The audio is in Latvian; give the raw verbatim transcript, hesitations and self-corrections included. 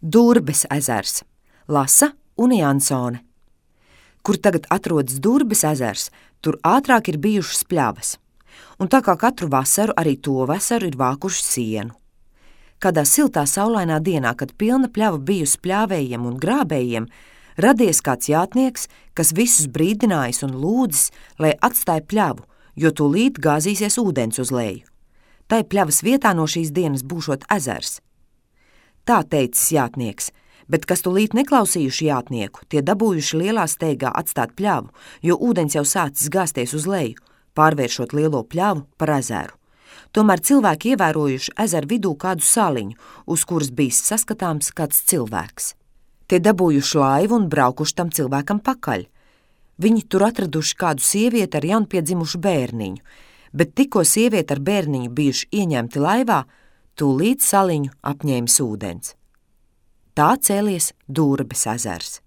Durbes ezers, lasa Une Jansone. Kur tagad atrodas Durbes ezers, tur ātrāk ir bijušas pļavas. Un tā kā katru vasaru, arī to vasaru ir vākuši sienu. Kādā siltā saulainā dienā, kad pilna pļava bijusi pļāvējiem un grābējiem, radies kāds jātnieks, kas visus brīdinājis un lūdzis, lai atstāja pļavu, jo tūlīt gāzīsies ūdens uz leju. Tai pļavas vietā no šīs dienas būšot ezers. Tā teicis jātnieks, bet kas tūlīt neklausījuši jātnieku, tie dabūjuši lielā steigā atstāt pļavu, jo ūdens jau sācis gāzties uz leju, pārvēršot lielo pļavu par ezeru. Tomēr cilvēki ievērojuši ezeru vidū kādu saliņu, uz kuras bijis saskatāms kāds cilvēks. Tie dabūjuši laivu un braukuši tam cilvēkam pakaļ. Viņi tur atraduši kādu sievieti ar jaunpiedzimušu bērniņu, bet tikko sievieti ar bērniņu bijuši ieņemti laivā, tūlīt saliņu apņēmis ūdens. Tā cēlies Durbes ezers.